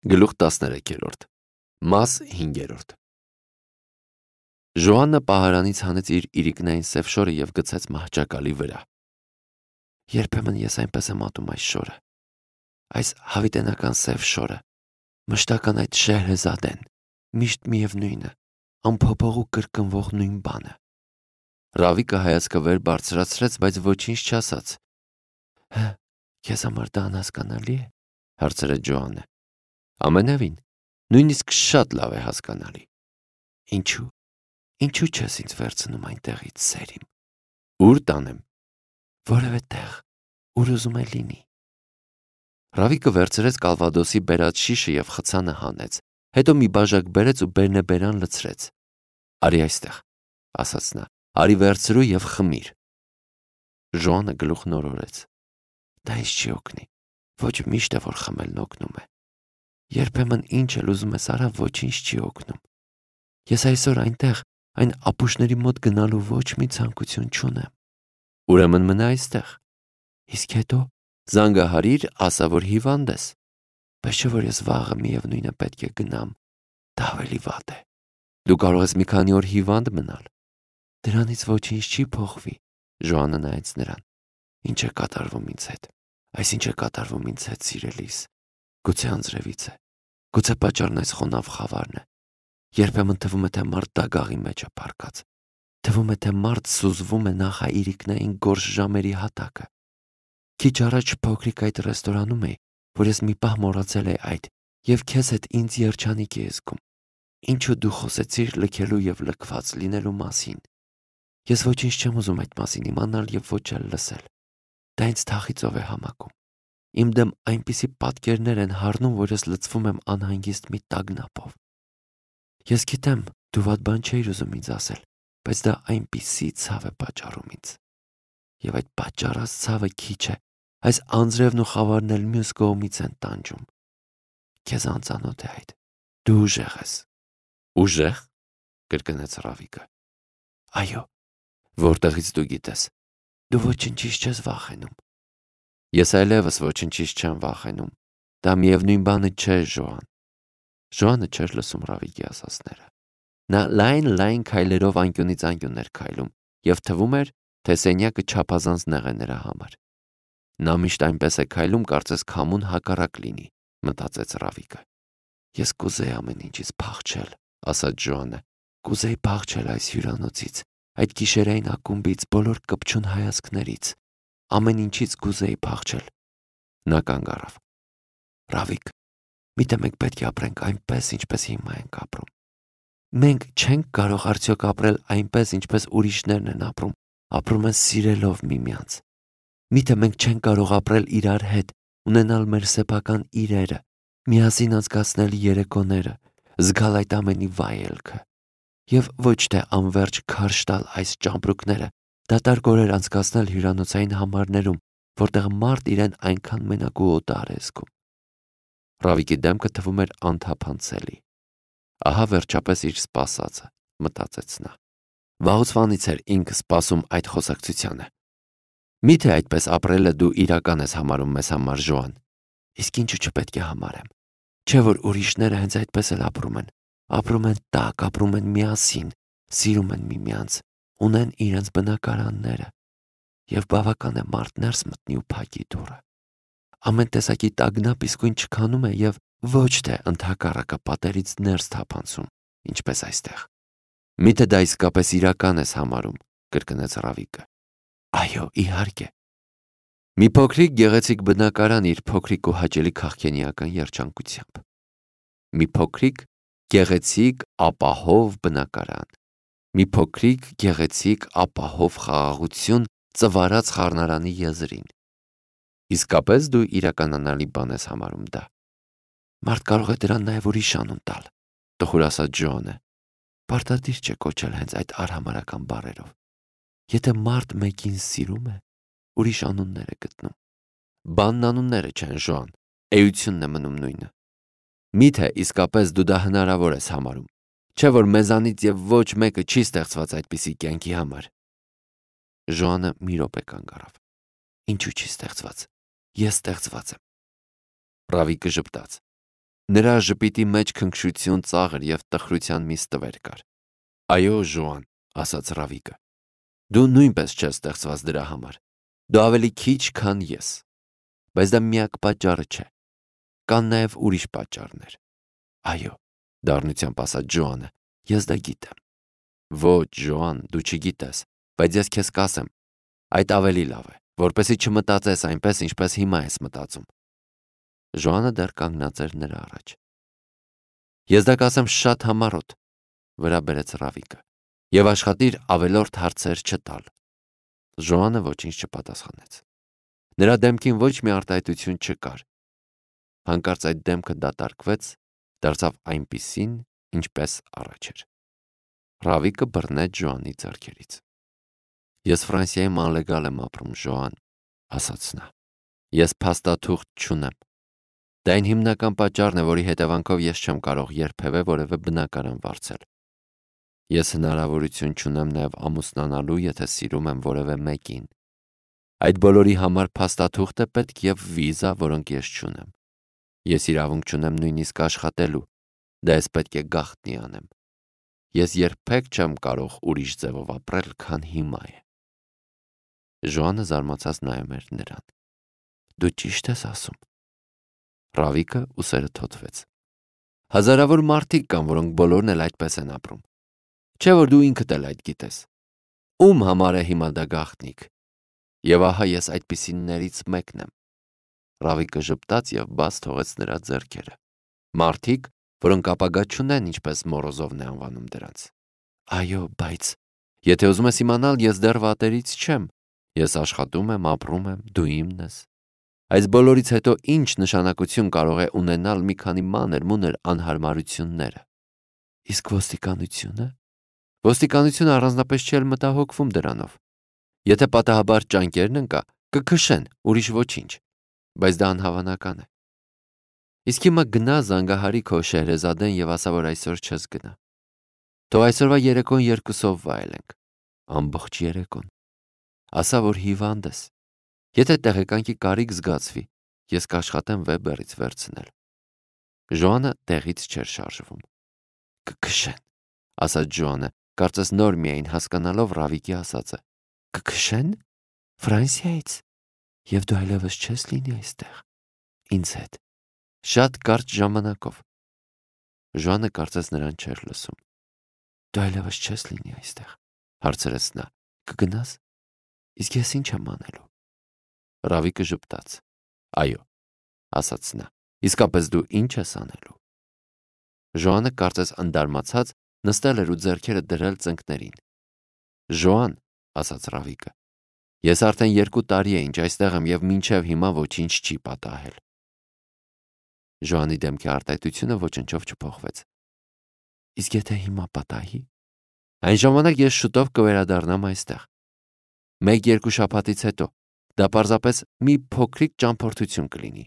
Գլուխ 13 Մաս 5 Ժոաննը պահարանից հանեց իր իրիկնային սև շորը և գցեց մահճակալի վրա։ Երբեմն ես այնպես եմ ատում այս շորը, այս հավիտենական սև շորը, մշտական այդ Շեհրեզադեն, միշտ միևնույնը, անփոփոխ ու կրկնվող նույն բանը։ Ռավիկը հայացքը վեր բարձրացրեց, բայց ոչինչ չասաց։ Քեզ համար դա անհասկանալի է, հարցրեց Ջոաննը։ Ամենևին, նույնիսկ շատ լավ է հասկանալի։ Ինչու չես ինձ վերցնում այնտեղից, սերիմ։ Ուր տանեմ։ Որևէ տեղ, ուր ուզում է լինի։ Ռավիկը վերցրեց կալվադոսի բերած շիշը և խցանը հանեց, հետո մի բաժակ բերեց ու բերնեբերան լցրեց։ Արի այստեղ, ասաց նա, արի վերցրու և խմիր։ Ժոաննը գլուխ նորորեց։ Դա ինձ չի օգնի, ոչ միշտ է, որ խմելն օգնում է։ Երբեմն ինչ էլ ուզում ես արա, ոչինչ չի օգնում։ Ես այսօր այնտեղ, այն ապուշների մոտ գնալու ոչ մի ցանկություն չունեմ։ Ուրեմն մնա այստեղ։ Իսկ հետո զանգահարիր, ասա, որ հիվանդ ես։ Բայց չէ որ ես վաղը միևնույնը պետք է գնամ։ Դա ավելի վատ է։ Դու կարող ես մի քանի օր հիվանդ մնալ։ Դրանից ոչինչ չի փոխվի, Ժոաննը նայեց նրան։ Ինչ է կատարվում ինձ հետ։ Ինչ է կատարվում ինձ հետ, սիրելիս։ Գուցե անձրևից է։ Գուցե պատճառն այս խոնավ խավարն է։ Երբեմն թվում է, թե մարդ դագաղի մեջ է պառկած։ Թվում է, թե մարդ սուզվում է նախաիրիկնային գորշ ժամերի հատակը։ Քիչ առաջ փոքրիկ այդ ռեստորանում էի, որ ես մի պահ մոռացել էի այդ և քեզ հետ ինձ երջանիկ էի զգում։ Ինչու դու խոսեցիր լքելու և լքված լինելու մասին։ Ես ոչինչ չեմ ուզում այդ մասին իմանալ և ոչ էլ լսել։ Դա ինձ թախիծով է համակում։ Իմ դեմ այնպիսի պատկերներ են հառնում, որ ես լցվում եմ անհանգիստ մի տագնապով։ Ես գիտեմ, դու վատ բան չէիր ուզում ինձ ասել, բայց դա այնպիսի ցավ է պատճառում ինձ։ Եվ այդ պատճառած ցավը քիչ է, այս անձրևն ու խավարն էլ մյուս կողմից են տանջում։ Քեզ անծանոթ է այդ։ Դու ուժեղ ես։ Ուժեղ, կրկնեց Ռավիկը։ Այո, որտեղից դու գիտես։ Դու ոչինչից չես վախենում։ Ես այլևս ոչինչից չեմ վախենում։ Դա միևնույն բանը չէ, Ժոան։ Ժոանը չէր լսում Ռավիկի ասածները։ Նա լայն քայլերով անկյունից անկյուն էր քայլում, և թվում էր, թե սենյակը չափազանց նեղ է նրա համար։ Նա միշտ այնպես է քայլում, կարծես քամուն հակառակ լինի, մտածեց Ռավիկը։ Ես կուզեի ամեն ինչից փախչել, ասաց Ժոանը։ Կուզեի փախչել այս հյուրանոցից, այդ գիշերային ակումբից, բոլոր կպչուն հայացքներից, ամեն ինչից կուզեի փախչել։ Նա կանգ առավ։ Ռավիկ, միթե մենք պետք է ապրենք այնպես, ինչպես հիմա ենք ապրում։ Մենք չենք կարող արդյոք ապրել այնպես, ինչպես ուրիշներն են ապրում են սիրելով միմյանց։ Միթե մենք չենք կարող ապրել իրար հետ, ունենալ մեր սեփական իրերը, միասին անցկացնել երեկոները, զգալ այդ ամենի վայելքը։ Եվ ոչ թե անվերջ քարշ տալ այս ճամպրուկները, դատարկ օրեր անցկացնել հյուրանոցային համարներում, որտեղ մարդ իրեն այնքան մենակ ու օտար է զգում։ Ռավիկի դեմքը թվում էր անթափանցելի։ Ահա վերջապես իր սպասածը, մտածեց նա։ Վաղուց էր ինքը սպասում այդ խոսակցությանը։ Միթե այդպես ապրելը դու իրական ես համարում մեզ համար, Ժոան։ Իսկ ինչու չպետք է համարեմ։ Չէ որ ուրիշները հենց այդպես էլ ապրում են տաք, ապրում են միասին, սիրում են միմյանց, ունեն իրենց բնակարանները, և բավական է մարդ ներս մտնի ու փակի դուռը։ Ամեն տեսակի տագնապ իսկույն չքանում է և ոչ թե ընդհակառակը պատերից ներս թափանցում, ինչպես այստեղ։ Միթե դա իսկապես իրական ես համարում, կրկնեց Ռավիկը։ Այո, իհարկե։ Մի փոքրիկ գեղեցիկ բնակարան իր փոքրիկ ու հաճելի քաղքենիական երջանկությամբ։ Մի փոքրիկ գեղեցիկ ապահով բնակարան։ Մի փոքրիկ գեղեցիկ ապահով խաղաղություն ծվարած խառնարանի եզրին։ Իսկապես դու իրականանալի բան ես համարում դա։ Մարդ կարող է դրան նաև ուրիշ անուն տալ, տխուր ասաց Ջոանը։ Պարտադիր չէ կոչել հենց այդ արհամարհական բառերով։ Եթե մարդ մեկին սիրում է, ուրիշ անուններ է գտնում։ Բանն անունները չեն, Ժոան, էությունն է մնում նույնը։ Միթե իսկապես դու դա հնարավոր ես համարում։ Չէ որ մեզանից և ոչ մեկը չի ստեղծված այդպիսի կյանքի համար։ Ժոանը մի րոպե կանգ առավ։ Ինչու չի ստեղծված։ Ես ստեղծված եմ։ Ռավիկը ժպտաց։ Նրա ժպիտի մեջ քնքշություն, ծաղր և տխրության մի ստվեր կար։ Այո, Ժոան, ասաց Ռավիկը, դու նույնպես չես ստեղծված դրա համար։ Դու ավելի քիչ, քան ես։ Բայց դա միակ պատճառը չէ։ Կան նաև ուրիշ պատճառներ։ Այո, դառնությամբ ասաց Ժոանը, ես դա գիտեմ։ Ոչ, Ժոան, դու չգիտես, բայց ես քեզ կասեմ, այդ ավելի լավ է, որպեսզի չմտածես այնպես, ինչպես հիմա ես մտածում։ Ժոանը դեռ կանգնած էր նրա առաջ։ Ես դա կասեմ շատ համառոտ, վրա բերեց Ռավիկը, եւ աշխատիր ավելորդ հարցեր չտալ։ Ժոանը ոչինչ չպատասխանեց։ Նրա դեմքին ոչ մի արտահայտություն չկար։ Հանկարծ այդ դեմքը դատարկվեց, դարձավ այնպիսին, ինչպես առաջ էր։ Ռավիկը բռնեց Ժոանի ձեռքերից։ Ես Ֆրանսիայում անլեգալ եմ ապրում, Ժոան, ասաց նա։ Ես փաստաթուղթ չունեմ։ Դա այն հիմնական պատճառն է, որի հետևանքով ես չեմ կարող երբևէ որևէ բնակարան վարձել։ Ես հնարավորություն չունեմ նաև ամուսնանալու, եթե սիրում եմ որևէ մեկին։ Այդ բոլորի համար փաստաթուղթ է պետք եւ վիզա, որոնք ես չունեմ։ Ես իրավունք չունեմ նույնիսկ աշխատելու, դա ես պետք է գաղտնի անեմ։ Ես երբեք չեմ կարող ուրիշ ձևով ապրել, քան հիմա է։ Ժոանը զարմացած նայում էր նրան։ Դու ճիշտ ես ասում։ Ռավիկը ուսերը թոթվեց։ Հազարավոր մարդիկ կան, որոնք բոլորն էլ այդպես են ապրում։ Չէ՞ որ դու ինքդ էլ այդ գիտես։ Ում համար է հիմա դա գաղտնիք։ Եվ ահա ես այդպիսիներից մեկն եմ։ Ռավիկը ժպտաց եւ բաց թողեց նրա ձեռքերը։ Մարդիկ, որոնք ապագա չունեն, ինչպես Մորոզովն է անվանում դրանց։ Այո, բայց եթե ուզում ես իմանալ, ես դեռ վատերից չեմ։ Ես աշխատում եմ, ապրում եմ, դու իմն ես։ Այս բոլորից հետո ինչ նշանակություն կարող է ունենալ մի քանի մանր-մունր անհարմարությունները։ Իսկ ոստիկանությունը։ Ոստիկանությունը առանձնապես չի մտահոգվում դրանով։ Եթե պատահաբար ճանկերն ընկա, կքշեն, ուրիշ ոչինչ, բայց դա անհավանական է։ Իսկ հիմա գնա զանգահարի քո Շեհրեզադեն եւ ասա, որ այսօր չես գնա։ Թող այսօրվա երեկոն երկուսով վայելենք, ամբողջ երեկոն։ Ասա, որ հիվանդ ես։ Եթե տեղեկանքի կարիք զգացվի, ես կաշխատեմ Վեբերից վերցնել։ Ժոանը տեղից չէր շարժվում։ Կքշեն, ասաց Ժոանը, կարծես նոր միայն հասկանալով Ռավիկի ասածը։ Կքշեն։ Ֆրանսիայից։ Եվ դու այլևս չես լինի այստեղ։ Ինձ հետ։ Շատ կարճ ժամանակով։ Ժոանը կարծես նրան չէր լսում։ Դու այլևս չես լինի այստեղ, հարցրեց նա։ Կգնաս։ Իսկ ես ինչ եմ անելու։ Ռավիկը ժպտաց։ Այո, ասաց նա։ Իսկապես դու ինչ ես անելու։ Ժոանը կարծես ընդարմացած նստել էր ու ձեռքերը դրել ծնկներին։ Ժոան, ասաց Ռավիկը, ես արդեն 2 տարի է ինչ այստեղ եմ եւ մինչեւ հիմա ոչինչ չի պատահել։ Ժոանի դեմքի արտահայտությունը ոչնչով չփոխվեց։ Իսկ եթե հիմա պատահի, այն ժամանակ ես շուտով կվերադառնամ այստեղ։ 1-2 շաբաթից հետո դա պարզապես մի փոքրիկ ճամփորդություն կլինի,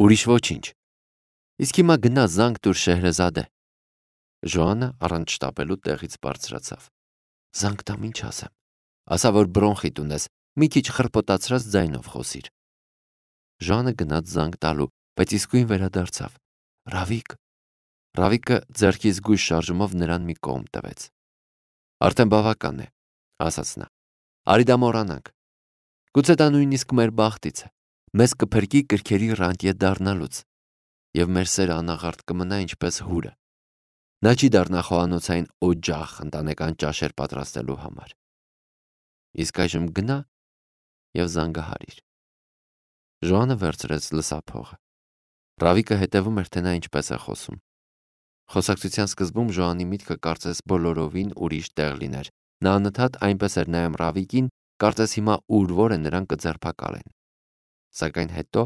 ուրիշ ոչինչ։ Իսկ հիմա գնա զանգ տուր Շեհրեզադե։ Ժոանը առանց շտապելու տեղից բարձրացավ։ Զանգ տամ, ինչ ասեմ։ Ասա, որ բրոնխիտ ունես, մի քիչ խրպոտացրած ձայնով խոսիր։ Ժոանը գնաց զանգ տալու, բայց իսկույն վերադարձավ։ Ռավիկ։ Ռավիկը ձեռքի զգույշ շարժումով նրան մի կողմ տվեց։ Արդեն բավական է, ասաց նա։ Արի դա մոռանանք։ Գուցե դա նույնիսկ մեր բախտից է։ Մեզ կփրկի կրքերի ռանտյե դառնալուց։ Եվ մեր սերը անաղարտ կմնա ինչպես հուրը։ Նա չի դառնա խոհանոցային օջախ ընտանեկան ճաշեր պատրաստելու համար։ Իսկ այժմ գնա եւ զանգահարիր։ Ժոանը վերցրեց լսափողը։ Ռավիկը հետևում էր, թե նա ինչպես է խոսում։ Խոսակցության սկզբում Ժոանի միտքը կարծես բոլորովին ուրիշ տեղ լիներ։ Նա անընդհատ այնպես էր նայում Ռավիկին, կարծես հիմա ուր-որ է նրան կձերբակալեն։ Սակայն հետո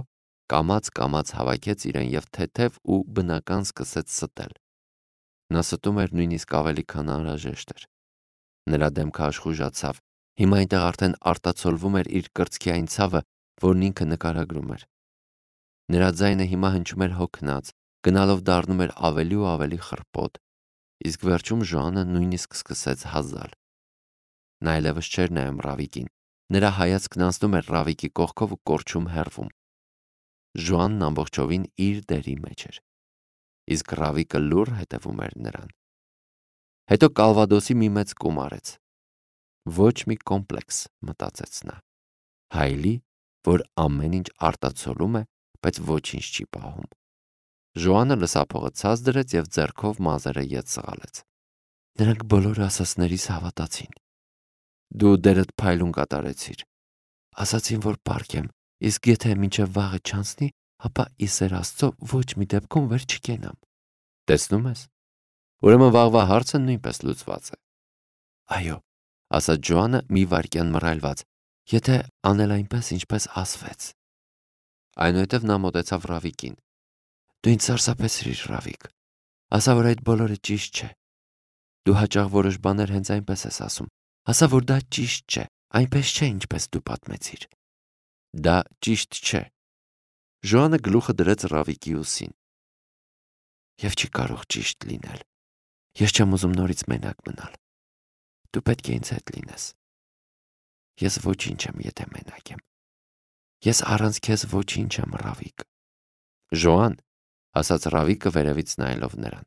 կամաց-կամաց հավաքեց իրեն եւ թեթև ու բնական սկսեց ստել։ Նա ստում էր նույնիսկ ավելի, քան անհրաժեշտ էր։ Նրա դեմքը աշխուժացավ։ Հիմա այնտեղ արդեն արտացոլվում էր իր կրծքի այն ցավը, որն ինքը նկարագրում էր։ Նրա ձայնը հիմա հնչում էր հոգնած, գնալով դառնում էր ավելի ու ավելի խռպոտ, իսկ վերջում Ժոանը նույնիսկ սկսեց հազալ։ Նա այլևս չէր նայում Ռավիկին։ Նրա հայացքն անցնում էր Ռավիկի կողքով ու կորչում հեռվում։ Ժոանն ամբողջովին իր դերի մեջ էր։ իսկ Ռավիկը լուռ հետևում էր նրան։ Հետո Կալվադոսի մի մեծ կում արեց։ Ոչ մի կոմպլեքս, մտածեց նա։ Հայլի, որ ամեն ինչ արտացոլում է, բայց ոչինչ չի պահում։ Ժոանը լսափողը ցած դրեց և ձեռքով մազերը ետ սղալեց։ Նրանք բոլորը ասածներիս հավատացին։ Դու դերդ փայլուն կատարեցիր։ Ասացին, որ պարկ եմ, իսկ եթե մինչև վաղը չանցնի, ապա ի սեր Աստծո ոչ մի դեպքում վեր չկենամ։ Տեսնում ես։ Ուրեմն վաղվա հարցը նույնպես լուծված է։ Այո, ասաց Ժոանը մի վայրկյան մռայլված, եթե անել այնպես, ինչպես ասվեց։ Այնուհետև նա մոտեցավ Ռավիկին։ Դու ինձ սարսափեցրիր, Ռավիկ։ Ասա, որ այդ բոլորը ճիշտ չէ։ Դու հաճախ որոշ բաներ հենց այնպես ես ասում։ Ասա, որ դա ճիշտ չէ, այնպես չէ, ինչպես դու պատմեցիր։ Դա ճիշտ չէ։ Ժոանը գլուխը դրեց Ռավիկի ուսին։ Եվ չի կարող ճիշտ լինել։ Ես չեմ ուզում նորից մենակ մնալ։ Դու պետք է ինձ հետ լինես։ Ես ոչինչ եմ, եթե մենակ եմ։ Ես առանց քեզ ոչինչ եմ, Ռավիկ։ Ժոան, ասաց Ռավիկը վերևից նայելով նրան։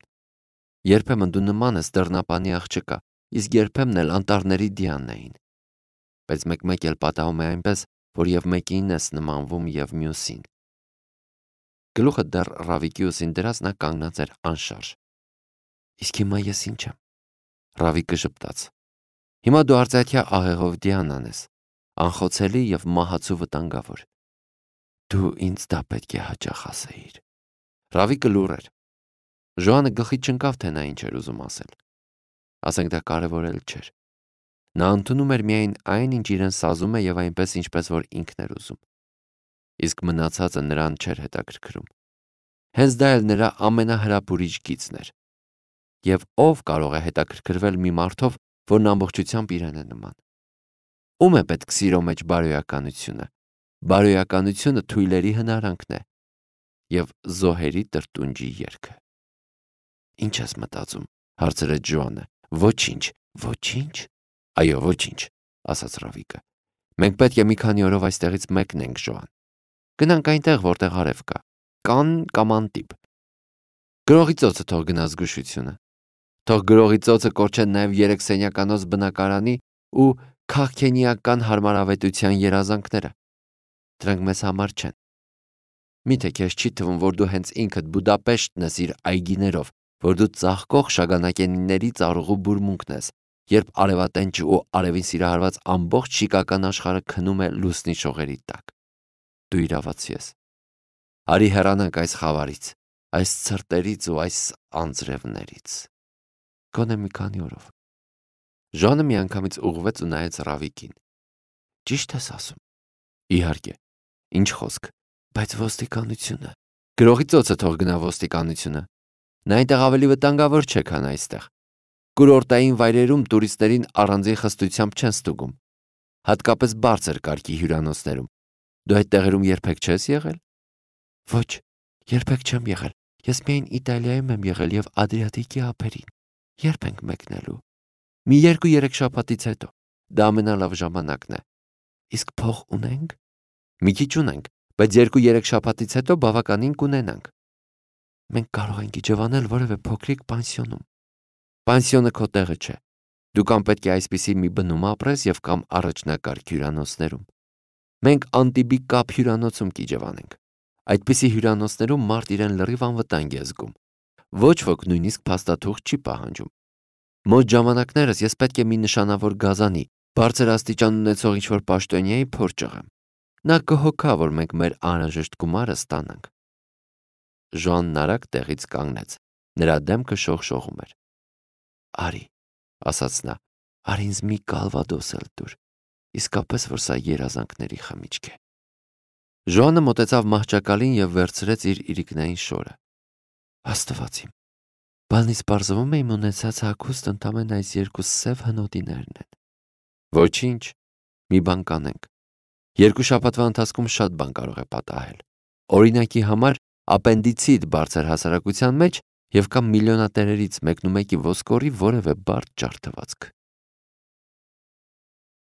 Երբեմն դու նման ես դռնապանի աղջկա, իսկ երբեմն էլ անտառների Դիանային։ Բայց մեկ-մեկ էլ պատահում է այնպես, որ եւ մեկին ես նմանվում եւ մյուսին։ Գլուխը դեռ Ռավիկի ուսին դրած նա կանգնած էր անշարժ։ Իսկ հիմա ես ինչ եմ։ Ռավիկը ժպտաց։ Հիմա դու արծաթյա աղեղով Դիանան ես, անխոցելի եւ մահացու վտանգավոր։ Դու ինձ դա պետք է հաճախ ասեիր։ Ռավիկը լուռ էր։ Ժոանը գլխի չընկավ, թե նա ինչ էր ուզում ասել։ Ասենք դա կարևորել չէր։ Նա ընդունում էր միայն այն, ինչ իրեն սազում է եւ այնպես, ինչպես որ ինքն էր ուզում։ Իսկ մնացածը նրան չէր հետաքրքրում։ Հենց դա էլ նրա ամենահրապուրիչ գիծն էր։ Եվ ով կարող է հետաքրքրվել մի մարդով, որն ամբողջությամբ իրեն է նման։ Ում է պետք սիրո մեջ բարոյականությունը։ Բարոյականությունը թույլերի հնարանքն է եւ զոհերի տրտունջի երգը։ Ինչ ես մտածում, հարցրեց Ժոանը։ Ոչինչ, ոչինչ։ Այո, ոչինչ, ասաց Ռավիկը։ Մենք պետք է մի քանի օրով այստեղից մեկնենք, Ժոան։ Գնանք այնտեղ, որտեղ արև կա։ Կան կամ անտիպ։ Գրողի ծոցը թող գնա զգուշությունը։ Թող գրողի ծոցը կորչեն նաև 3 սենյականոց բնակարանի ու քաղքենիական հարմարավետության երազանքները։ Դրանք մեզ համար չեն։ Միթե քեզ չի թվում, որ դու հենց ինքդ Բուդապեշտն ես իր այգիներով, որ դու ծաղկող շագանակենիների ծառուղու բուրմունքն ես, երբ արևատենչը ու արևին սիրահարված ամբողջ շիկական աշխարհը քնում է լուսնի շողերի տակ։ Դու իրավացի ես։ Արի հեռանանք այս խավարից, այս ցրտերից ու այս անձրևներից։ Գոնե մի քանի օրով։ Ժանը միանգամից ուղղվեց ու նայեց Ռավիկին։ Ճիշտ ես ասում։ Իհարկե։ Ինչ խոսք, բայց ոստիկանությունը։ Գրողի ծոցը թող գնա ոստիկանությունը։ Նա այնտեղ ավելի վտանգավոր չէ, քան այստեղ։ Կուրորտային վայրերում տուրիստերին առանձին խստությամբ չեն ստուգում։ Հատկապես բարձր կարգի հյուրանոցներում։ Դու այդ տեղերում երբեք չես եղել։ Ոչ, երբեք չեմ եղել։ Ես միայն Իտալիայում եմ եղել եւ Ադրիատիկի ափերին։ Երբ ենք մեկնելու։ Մի 2-3 շաբաթից հետո։ Դա ամենալավ ժամանակն է։ Իսկ փող ունենք։ Մի քիչ ունենք, բայց 2-3 շաբաթից հետո բավականին կունենանք։ Մենք կարող ենք իջևանել որևէ փոքրիկ պանսիոնում։ Պանսիոնը քո տեղը չէ։ Դու կամ պետք է այսպիսի մի բնում ապրես եւ կամ առաջնակարգ հյուրանոցներում։ Մենք Անտիբի կապ հյուրանոցում կիջևանենք։ Այդպիսի հյուրանոցներում մարդ իրեն լրիվ անվտանգ է զգում։ Ոչ ոք նույնիսկ փաստաթուղթ չի պահանջում։ Մոտ ժամանակներս ես պետք է մի նշանավոր գազանի, բարձր աստիճան ունեցող ինչ-որ պաշտոնյայի փոր ճղեմ։ Նա կհոգա, որ մենք մեր անհրաժեշտ գումարը ստանանք։ Ժոանն արագ տեղից կանգնեց։ Նրա դեմքը շողշողում էր։ Արի, ասաց նա, արի ինձ մի Կալվադոս էլ տուր, իսկապես որ սա երազանքների խմիչք է։ Ժոանը մոտեցավ մահճակալին եւ վերցրեց իր իրիկնային շորը։ Աստված իմ, բանից պարզվում է իմ ունեցած հագուստ ընդամենը այս 2 սև հնոտիներն են։ Ոչինչ, մի բան կանենք։ 2 շաբաթվա ընթացքում շատ բան կարող է պատահել։ Օրինակի համար ապենդիցիտ բարձր հասարակության մեջ եւ կամ միլիոնատերերից մեկնումեկի ոսկորի որևէ բարդ ջարդվածք։